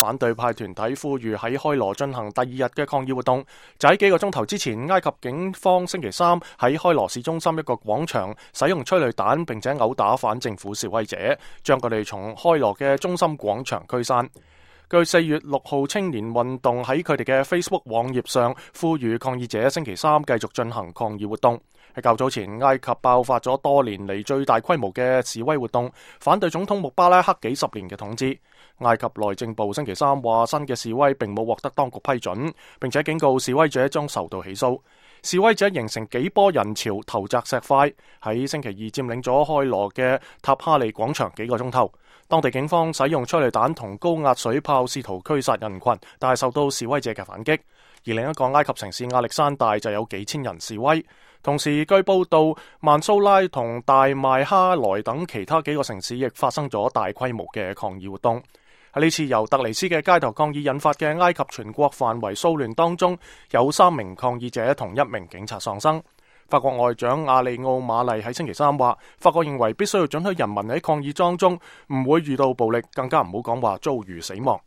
反對派團體呼籲喺開羅進行第2日嘅抗議活動。就喺幾個鐘頭之前，埃及警方星期3喺開羅市中心一個廣場使用催淚彈，並且毆打反政府示威者，將佢哋從開羅嘅中心廣場驅散。據4月6號青年運動喺佢哋嘅 Facebook 網頁上呼籲抗議者星期3繼續進行抗議活動。喺較早前，埃及爆發咗多年嚟最大規模嘅示威活動，反對總統穆巴拉克幾十年嘅統治。埃及內政部星期3話，新嘅示威並冇獲得當局批准，並且警告示威者將受到起訴。示威者形成幾波人潮，投擲石塊，喺星期二佔領咗開羅嘅塔哈利廣場幾個鐘頭。當地警方使用催淚彈同高壓水炮試圖驅殺人群，但係受到示威者嘅反擊。而另一個埃及城市亞歷山大就有幾千人示威。同時，據報道，曼蘇拉同大麥哈萊等其他幾個城市亦發生咗大規模嘅抗議活動。喺呢次由特尼斯嘅街頭抗議引發嘅埃及全國範圍騷亂當中，有3名抗議者同1名警察喪生。法國外長阿里奧馬麗喺星期3話，法國認為必須要准許人民喺抗議當中唔會遇到暴力，更加唔好講話遭遇死亡。